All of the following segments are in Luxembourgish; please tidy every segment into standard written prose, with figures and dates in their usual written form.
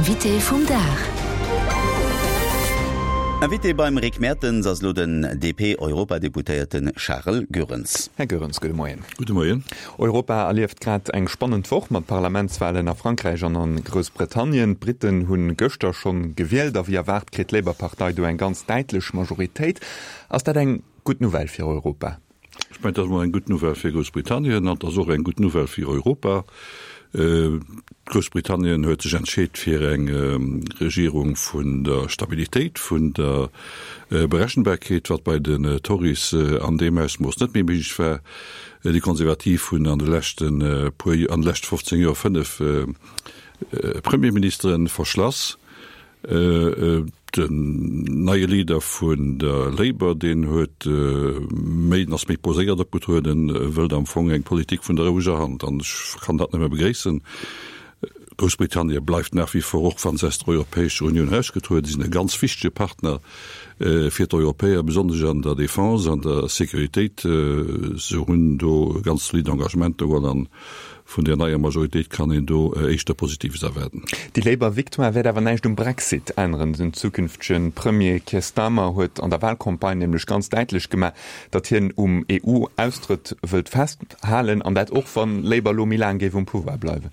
Invité vum Dag. Invité beim Rick Mertens ass elo den DP-Europadeputéierte Charel Goerens. Här Goerens, gudde Moien. Gudde Moien. Europa erlieft grad eng spannend Woch mat Parlamentswalen a Frankräich an a Groussbritannien. D'Britten hu gëschter schonn gewielt a wéi erwaart kritt d'Labour-Partei do eng ganz däitlech Majoritéit. Ass dat eng gutt Nouvelle fir Europa? Ech mengen, et ass emol eng gutt Nouvelle fir Groussbritannien an et ass och eng gutt Nouvelle fir Europa. Groussbritannien huet sech entscheet fir eng Regierung vun der Stabilitéit, vun der Berechenbarkeet, wat bei den Tories an deem Ausmooss net méi méiglech war. Déi Konservativ hunn an de leschte puer, an de leschte 15 Joer fënnef Premierministere verschlass. Den neie Leader vun der Labour, deen huet méi, ass méi poséiert opgetrueden, wëllt am Fong eng Politik vun der roueger Hand an ech kann dat nëmme begréissen. Groussbritannie bleift nach wie vor, och wa se aus der Europäescher Unioun erausgetruede sinn, e ganz wichtege Partner fir d'Europäer, besonnesch an der Defense, an der Sécuritéit. Se hunn do ganz zolidd Engagementer geholl an Vun där neier Majoritéit kann een do éischter Positives erwaarden. Déi Labour-Victoire wäert awer näischt um Brexit änneren. Den zukünftege Premier Keir Starmer huet an der Walcampagne nämlech ganz däitlech gemaach, datt hien um EU-Austrëtt wëllt festhalen, an dat och wann Labour elo méi laang géif um Pouvoir bleiwen.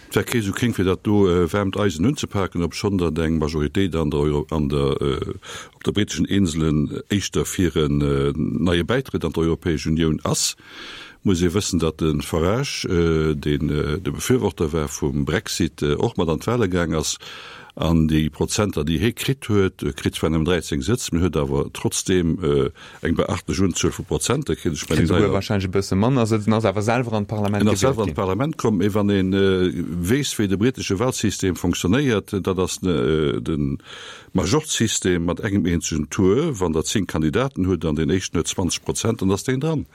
Et wär kee sou kéng fir dat do waarmt Eisen unzepaken, obschonn datt eng Majoritéit an der an der op de britteschen Inselen éischter fir en neie Bäitrëtt an d'Europäesch Unioun ass. Muss ee wëssen, datt de Farage, deen de Befürworter war vum Brexit, och mat an d'Wale gaang ass an déi Prozenter, déi hie kritt huet, e kritt zwar nëmmen 13 Sëtz, mee huet awer trotzdeem eng beachtlech Unzuel vu Prozenter kritt. Ech mengen, Kritt souguer warscheinlech e bësse manner Sëtz en ass awer selwer an d'Parlament En ass gewielt selwer an ginn. d'Parlament komm. Mee wann ee weess, wéi de britesche Walsystem fonctionnéiert, dat ass de Majorzsystem mat engem eenzegen Tour, wann Der 10 Kandidaten hutt an deen éischten huet 20 Prozent, dann ass deen dran.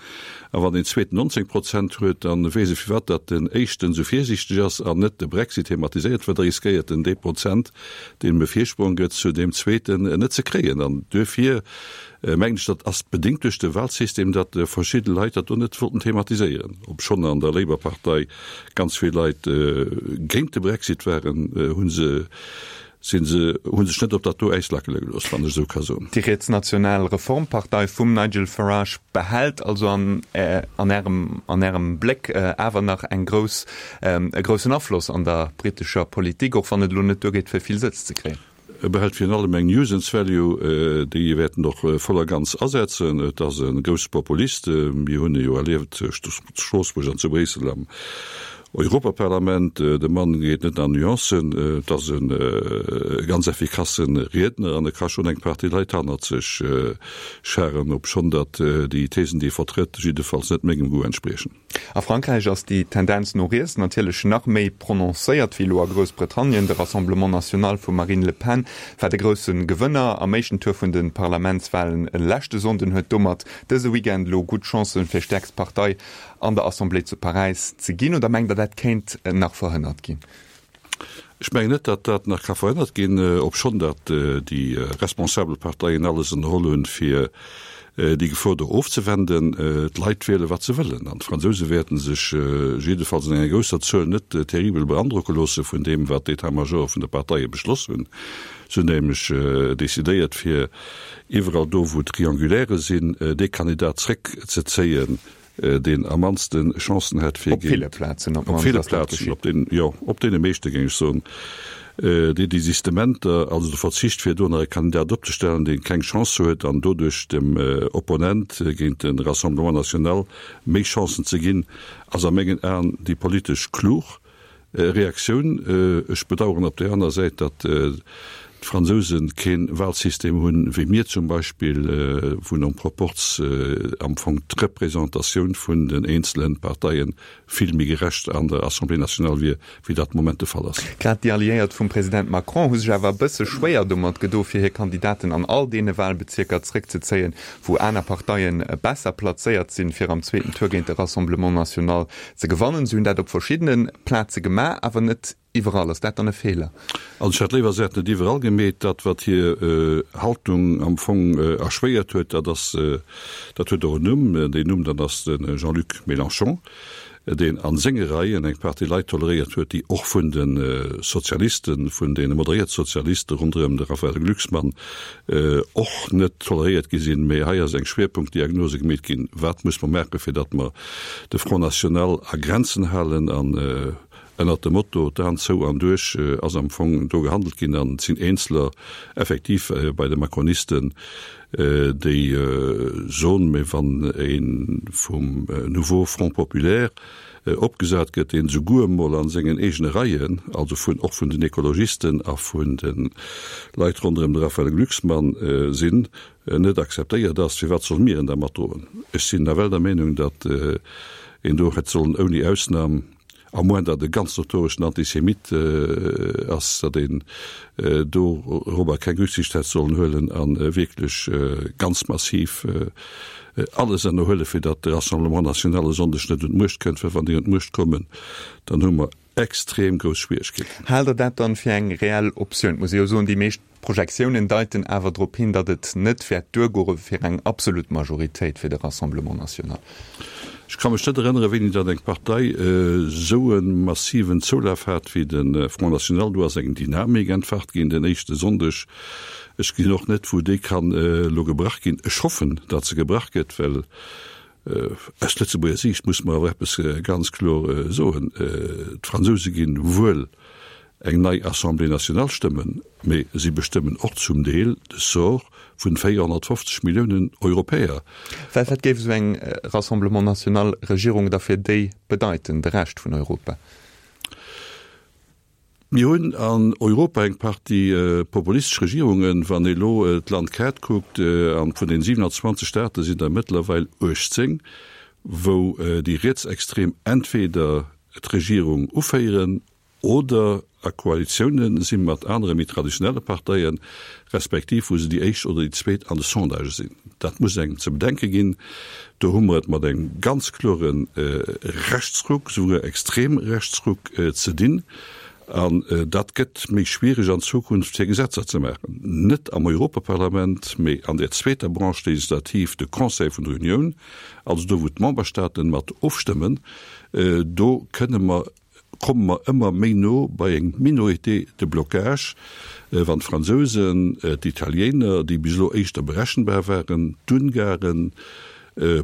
A wann deen zweeten 19 Prozent huet, da weess e firwat datt den éischten esou virsiichteg ass an net de Brexit thematiséiert, well da riskéiert en dee Prozent, deen em e Virsprong gëtt, zu deem zweeten net ze kréien. An duerfir mengen ech, dat ass bedéngt duerch de Wahlsystem, datt verschidde Leit dat do net wollten thematiséieren, obschonn an der Labour-Partei ganz vill Leit géint de Brexit waren, hu se Sinn se, hu sech net op dat do Äis lackele gelooss, wann ech esou ka soen. Déi rietsnational Reformpartei vum Nigel Farage behält also an an Ärem an Ärem Bléck awer nach eng grouss e groussen Afloss an der brittescher Politik, och wann et elo net duergeet fir vill Sëtz ze kréien. E behält virun allem eng Nuisance value, déi e wäerten och voll a ganz asetzen. Et ass e grousse Populist, mir hunn e jo erlieft zu Stroossbuerg an zu Bréissel am Europaparlament, de Mann geet net an Nuancen, et ass e ganz effikasse Riedner an e ka schonn eng Partie Leit hannert sech scharen, obschonn datt déi Thesen, déi e vertrëtt, jiddefalls net mengem Goût entspriechen. A Frankräich ass déi Tendenz no riets natierlech nach méi prononcéiert wéi elo a Groussbritannien. De Rassemblement National vum Marine Le Pen war de grousse Gewënner am éischten Tour vun de Parlamentswalen leschte Sonnden, huet domat dëse Weekend elo gutt Chancen, fir stäerkst Partei an der Assemblée zu Paräis ze ginn, oder mengt Der, dat kéint nach verhënnert ginn? Ech mengen net, datt dat nach ka verhënnert ginn, obschonn datt déi responsabel Parteien alles ënnerholl hunn, fir déi Gefor do ofzewenden. D'Leit wiele wat se wëllen an d'Fransouse wäerte sech jiddefalls an enger grousser Zuel net terribel beandrocke loosse vun deem, wat d'État-majore vun de Parteie beschloss hunn. Se hunn nämlech decidéiert, fir iwwerall do, wou Triangulaire sinn, dee Kandidat zréckzezéien, deen am mannste Chancen hätt fir Op ville Plazen, op ville Plazen, op den, jo, op deene meeschte géing ech soen, déi Desistementer, also de Verzicht fir do nach e Kandidat opzestellen, dee keng Chance huet an doduerch dem Opponent géint de Rassemblement National méi Chancen ze ginn, ass a mengen Aen déi politesch klug. Reaktioun, Ech bedauern op där aner Säit, datt d'Fransouse kee Wahlsystem hunn, wéi mir zum Beispill, wou nom Proporz am Fong d'Représentatioun vun den eenzele Parteie vill méi gerecht an der Assemblée nationale wier, wéi dat de Moment de Fall ass. Grad déi Alliéiert vum President Macron hu sech awer e bësse schwéier domat gedo, fir hir Kandidaten an all deene Wahlbezierker zréckzezéien, wou aner Parteie besser plazéiert sinn, fir am zweeten Tour géint de Rassemblement National Ze gewannen. Se hunn dat op verschiddene Plaze gemaach, awer net iwwerall. Ass dat dann e Feeler? Also ech hätt léiwer, se hätten et iwwerall gemeet. Dat, wat hir Haltung am Fong erschwéiert huet, dat ass, dat huet och en Numm. Deen Numm, dat ass de Jean-Luc Mélenchon. Deen a senge Reien eng Partie Leit toleréiert huet, déi och vun de Sozialisten, vun deene moderéierte Sozialiste ronderëm de Raphaël Glucksmann och net toleréiert gi sinn. Mee hei ass eng Schwierpunktdiagnose gemeet ginn, Wat muss mer maachen, fir datt mer de Front National a Grenzen halen? An ënnert dem Motto d'Aen zou an duerch ass am Fong do gehandelt ginn. An et sinn Eenzeler effektiv bei de Macronisten, déi soen, mee wann ee vum Nouveau Front Populaire opgesat gëtt, deen esouguer emol a sengen eegene Reien, also vun och vun den Ekologisten a vun de Leit ronderëm de Raphaël Glucksmann sinn, net akzeptéiert ass, firwat solle mir en da matdroen? Ech sinn nawell der Meenung, datt een do hätt sollen ouni Ausnam, À moins datt e ganz notoreschen Antisemit ass, datt een dorobber keng Rücksicht hätt sollen huelen a wierklech ganz massiv alles ënnerhuelen, fir datt de Rassemblement national e Sonndeg net un d'Muecht kënnt, well wann déi un d'Muecht kommen, dann hu mer extrem grouss Schwieregkeeten. Haalt Der dat dann fir eng reell Optioun? Et muss ee jo soen, déi meescht D'Projektiounen deiten awer drop hin, datt et net wäert duergoe fir eng absolut Majoritéit fir de Rassemblement National. Ech ka mech net erënnere wéini datt eng Partei esou e massiven Zoulaf hat wéi de Front National. Do ass eng Dynamik entfacht ginn den éischte Sonndeg. Ech gesinn och net wou déi kann elo gebrach ginn. Ech hoffen, datt se gebrach gëtt, well aus Lëtzebuerger Siicht muss mer awer eppes ganz kloer soen, D'Fransouse ginn wuel eng nei Assemblée nationale stëmmen, mee si bestëmmen och zum Deel de Sort vun 450 Milliounen Europäer. Well wat géif esou eng Rassemblement national Regierung da fir déi bedeiten, de Rescht vun Europa? Mir hunn an Europa eng Partie populistesch Regierungen. Wann ee elo d'Landkaart kuckt, a vun den 27 Staate sinn der mëttlerweil 18, wou déi Rietsextrem entweder d'Regierung uféieren oder a Koalitioune si mat anere méi traditionelle Parteien, respektiv wou se déi éischt oder déi zweet an de Sondagë sinn. Dat muss engem ze bedenke ginn. Do hu mer et mat engem ganz klore Rechtsruck, souguer extrem Rechtsruck ze dinn. An dat gëtt méi schwiereg an Zukunft fir Gesetzer ze maachen, net am Europaparlament, mee an där zweeter Branche législative, de Conseil vun der Unioun, also do wou d'Memberstaaten mat ofstëmmen. Do kënne mer komme mer ëmmer méi no bei eng Minorité de blocage, wann d'Fransousen, d'Italiener, déi bis elo éischter berechenbar waren, d'Ungaren,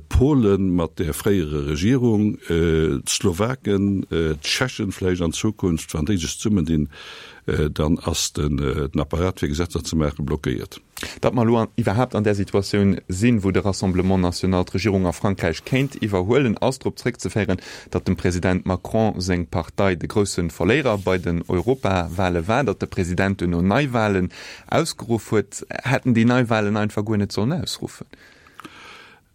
Polen mat där fréierer Regierung, d'Slowaken, d'Tschechen vläicht an Zukunft, wann déi sech zesummendinn, dann ass den Apparat fir Gesetzer ze maachen blockéiert. Datt mer elo iwwerhaapt an där Situatioun sinn, wou de Rassemblement national d'Regierung a Frankräich kéint iwwerhuelen, ass drop zréckzeféieren, datt dem President Macron seng Partei de grousse Verléierer bei den Europawale war, datt de President duerno Neiwalen ausgeruff huet. Hätt en déi Neiwalen einfach guer net sollen ausruffen?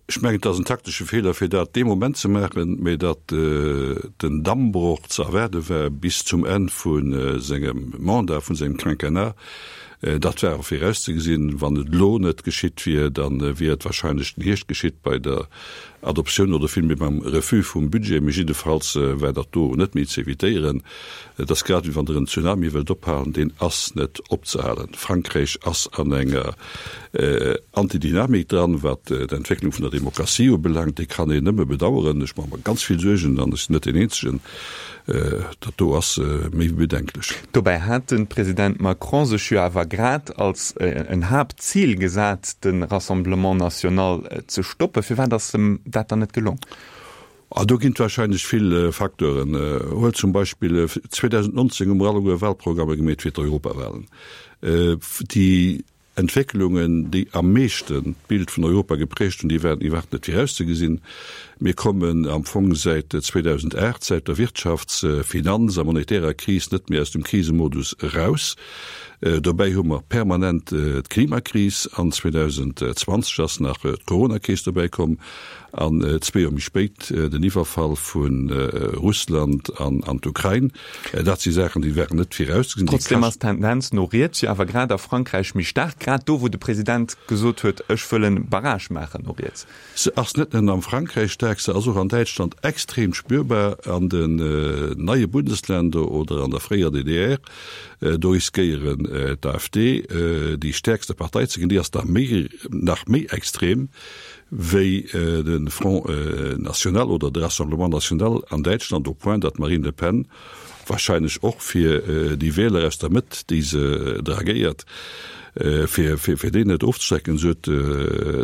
Ech mengen, et ass en taktesche Feeler, fir dat dee Moment ze maachen, mä datt den Dammbroch ze erwaarde war bis zum Enn vu sengem Mandat, vu sengem Quinquennat, dat war och virauszegesinn. Wann et elo net geschitt wier, da wier et wahrscheinlech den Hierscht geschitt bei der Adoptioun oder villméi beim Refus vum Budget, mee jiddefalls war dat do net méi ze evitéieren. Et ass grad wéi wann Der en Tsunami wëllt ophalen, deen ass net opzehalen. Frankräich ass an enger Antidynamik dran, wat d'Entwécklung vun der Demokratie ubelaangt. Déi kann een nëmme bedauern. Ech maache mer ganz vill Suergen, an ech sinn net deen Eenzegen. Dat do ass méi wéi bedenklech. Dobäi hat de President Macron sech jo awer grad als en Haaptzil gesat, de Rassemblement national ze stoppen. Firwat ass em dat dann net gelong? Ah, do ginn et wahrscheinlech vill Facteuren. Huelt zum Beispill, 2019 hu mer alleguer Wahlprogrammer gemeet fir d'Europawahlen. Déi Entwécklungen, déi am meeschten d'Bild vun Europa geprägt hunn, déi waren iwwerhaapt net virauszegesinn. Mir kommen am Fong säit 2008, säit der Wirtschafts-, Finanz a monetärer Kris net méi aus dem Krisemodus eraus. Dobäi hu mer permanent d'Klimakris an 2020 ass nach d'Coronakris dobäi komm. An zwee Joer méi spéit den Iwwerfall vu Russland an d'Ukrain. Dat si Saachen, déi waren net virauszegesinn. Trotzdeem ass d'Tendenz no riets jo awer grad a Frankräich méi staark, grad do, wou de President gesot huet, ech wëll en Barrage maachen no riets. Se ass net nëmmen am Frankräich staark. Niedersachse ass och an Däitschland extrem spürbar, an den neie Bundesländer oder an der fréier DDR, do riskéieren d'AfD déi stäerkste Partei ze ginn. Déi ass da méi, nach méi extrem wéi de Front National oder de Rassemblement National an Däitschland, au point datt d'Marine Le Pen Wahrscheinlech och fir déi Wieler aus der Mëtt, déi se dragéiert, fir fir déi net ofzeschrecken, esou huet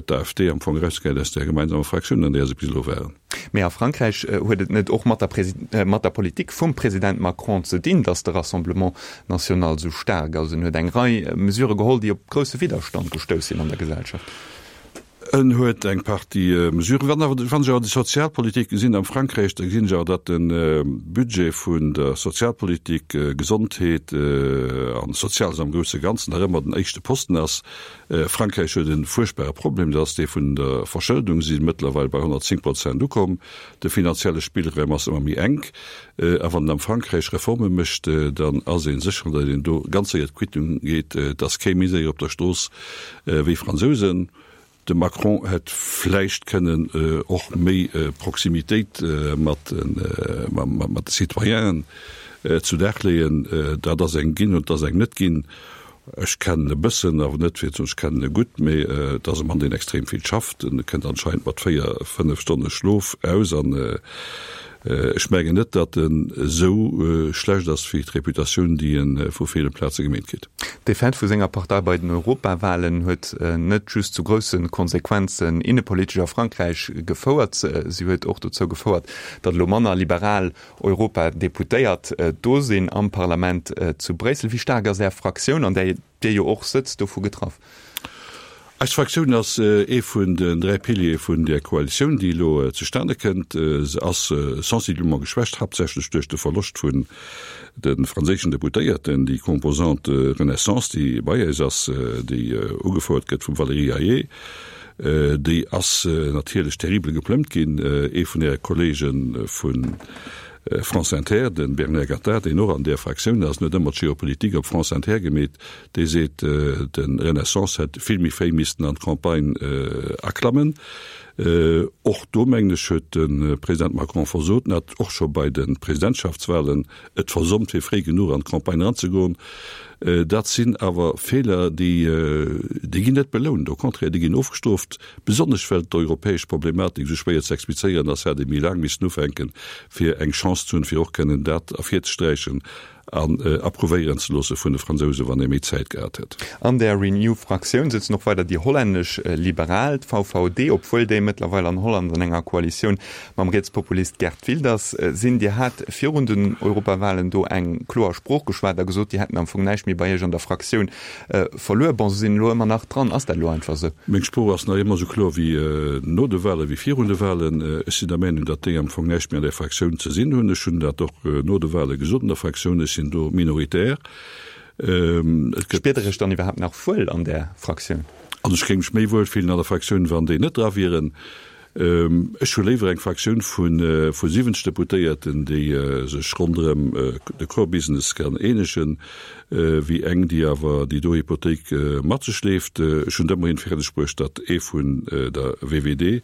d'AfD am Fong erausgehäit aus där gemeinsamer Fraktioun, an där se bis elo waren. Mee a Frankräich huet et net och mat der mat der Politik vum President Macron ze dinn, datt de Rassemblement National esou staark ass? En huet eng Rei Mesurë geholl, déi op grousse Widderstand gestouss sinn an der Gesellschaft. En huet eng Partie Mesuren. Wann awer, wann ech awer déi Sozialpolitik gesinn am Frankräich, da gesinn ech awer, datt de Budget vun der Sozialpolitik, Gesondheet an Soziales am grousse Ganzen nach ëmmer den éischte Posten ass. Frankräich huet e fuerchtbare Problem, dat ass dee vun der Verschëldung. Si si mëttlerweil bei 110 Prozent ukomm. De finanzielle Spillraum ass ëmmer méi enk. A wann en am Frankräich Reforme mécht, dann ass ee sécher, datt een do ganz séier d'Quittung geet. Et ass kee méi séier op der Strooss wéi Fransousen. De Macron hätt vläicht kënnen och méi Proximitéit mat de Citoyenen zu Dag leeën. Dat ass eng ginn und dat ass eng net ginn. Ech kennen e bëssen, awer net fir ze soen, ech kennen e gutt, mee et ass e Mann, deen extrem vill schafft. En kënnt anscheinend mat 4, 5 Stonne Schlof aus an ech mengen net, datt en esou schlecht ass wéi d'Reputatioun, déi e vu ville Plaze gemeet kritt. D'Defaite vu senger Partei bei den Europawahlen huet net just zu grousse Konsequenzen innepolitesch a Frankräich gefouert, si huet och dozou gefouert, datt elo manner liberal Europadeputéiert do sinn am Parlament zu Bréissel. Wéi staark ass Är Fraktioun, an där Dir jo och sëtzt, dovu getraff? Eis Fraktioun ass ee vun den 3 Piliere vun där Koalitioun, déi elo zustane kënnt. Se ass sensiblement geschwächt, haaptsächlech duerch de Verloscht vun de franséischen Deputéierten. Déi Composante Renaissance, déi bei eis ass, déi ugefouert gëtt vum Valérie Hayer, Déi ass natierlech terribel geplëmmt ginn. Ee vun Äre Kollege vu France Inter, de Bernard Gattaz, deen och an där Fraktioun ass, huet ëmmer d'Geopolitik op France Inter gemeet. Dee seet, de Renaissance hätt vill méi fréi missten an d'Campagne aklammen. Och do, mengen ech, huet de President Macron versot. En hat och scho bei de Presidentschaftswahlen et versommt fir fréi genuch an d'Campagne eranzegoen. Dat sinn awer Feeler, déi, déi ginn net belount, au contraire, déi ginn ofgestrooft. Besonnesch well d'europäesch Problematik esou schwéier ze explizéieren ass, hätt ee méi laang missen ufänken, fir eng Chance ze hunn, fir och kënnen dat ervirzesträichen an approuvéieren ze loosse vun de Fransousen, wann ee méi Zäit gehat hätt. An der Renew-Fraktioun sëtzen och weider déi hollännesch Liberal, d'VVD, obwuel déi mëttlerweil an Holland an enger Koalitioun mam Rietspopulist Geert Wilders sinn. Dir hat virun den Europawahlen do eng kloer Sprooch geschwat a gesot, déi hätten am Fong näischt méi bei Iech an der Fraktioun verluer. Bon, se sinn elo ëmmer nach dran. Ass dat elo einfach esou? Meng Sprooch ass nach ëmmer esou kloer wéi no de Wahlen, wéi virun de Wahlen. Ech sinn der Meenung, datt déi am Fong näischt méi an där Fraktioun ze sinn hunn. Ech hunn dat och no de Wahle gesot an der Fraktioun. Ech sinn do minoritär. Et gëtt. Spiert Der Iech dann iwwerhaapt nach wuel an där Fraktioun? Also ech géing mech méi wuel fillen an der Fraktioun, wann déi net dra wieren. Ech hu léiwer eng Fraktioun vu 70 Deputéierten, déi sech ronderëm de Core Business kann eenegen, wéi eng, déi awer déi do Hypothéik mat sech schleeft. Ech hunn et ëmmerhin fäerdeg bruecht, datt ee vun der VWD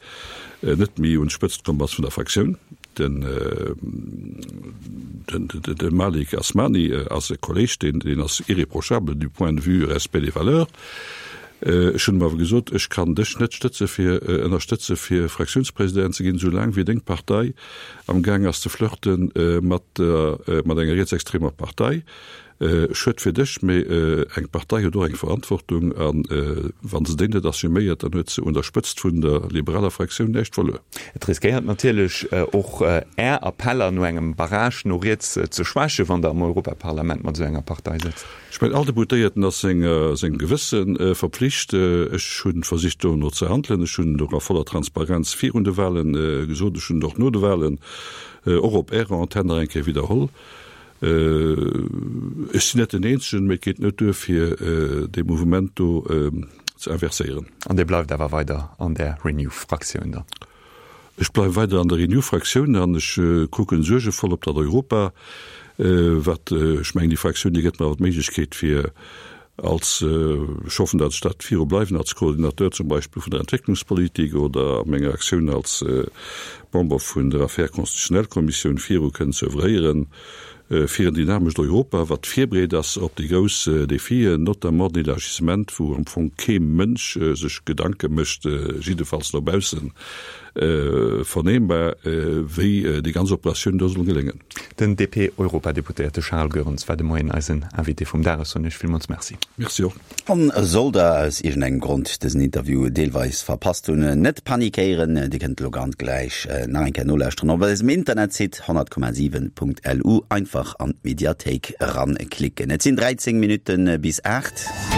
net méi un d'Spëtzt komm ass vun der Fraktioun. Den Malik Asmani ass e Kolleg, deen ass irréprochable du point de vue respect des valeurs. Ech hunn em awer gesot, ech kann dech net stëtze fir, ënnerstëtze fir Fraktiounspresident ze ginn, soulaang wéi deng Partei am gaang ass ze flirte mat der, mat enger rietsextremer Partei. Schued fir dech, mee eng Partei huet och eng Verantwortung a wa se déi net assuméiert, dann huet se un der Spëtzt vun der liberaler Fraktioun näischt verluer. Et riskéiert natierlech och Är Appeller no engem Barrage no riets ze schwächen, wann Der am Europaparlament mat esou enger Partei sëtzt. Ech mengen, all Deputéierten ass sengem Gewësse verpflicht. Ech hu versicht dono ze handelen. Ech hunn et och a voller Transparenz virun de Wahle gesot. Ech hunn et och no de Wahlen och op Ärer Antenn nach eng Kéier widderholl. Ech sinn net den Eenzegen, mee et geet net duer, fir dee Mouvement do ze inverséieren. An Dir bleift awer weider an där Renew-Fraktioun dann? Ech bleiwe weider an der Renew-Fraktioun an ech kucken suergevoll op dat Europa, wat, ech mengen, déi Fraktioun, déi gëtt mer awer d'Méiglechkeet, fir. Als, ech hoffen, datt ech dat viru bleiwen, als Coordinateur zum Beispill vun der Entwécklungspolitik oder a menger Aktioun als Member vun der Affaires constitutionnelles Kommissioun viru kënnen ze oeuvréieren fir en dynamescht Europa, wat virbereet ass op déi grouss Défien, notamment den Élargissement, wou am Fong kee Mënsch sech Gedanke mécht, jiddefalls no baussen vernehmbar, wéi déi ganz Operatioun do soll geléngen. Den DP-Europadeputéierte Charles Goerens war de Moien eisen Invité vum Dag. Ech soen Iech villmools Merci. Merci och. An sollt der aus iergendengem Grond dësen Interview deelweis verpasst hunn, net panikéieren, Dir kënnt elo ganz gläich nach eng Kéier nolauschteren op eisem Internetsite 100,7.lu. Einfach an d'Mediathéik eranklicken. Et sinn 13 Minutte bis 8.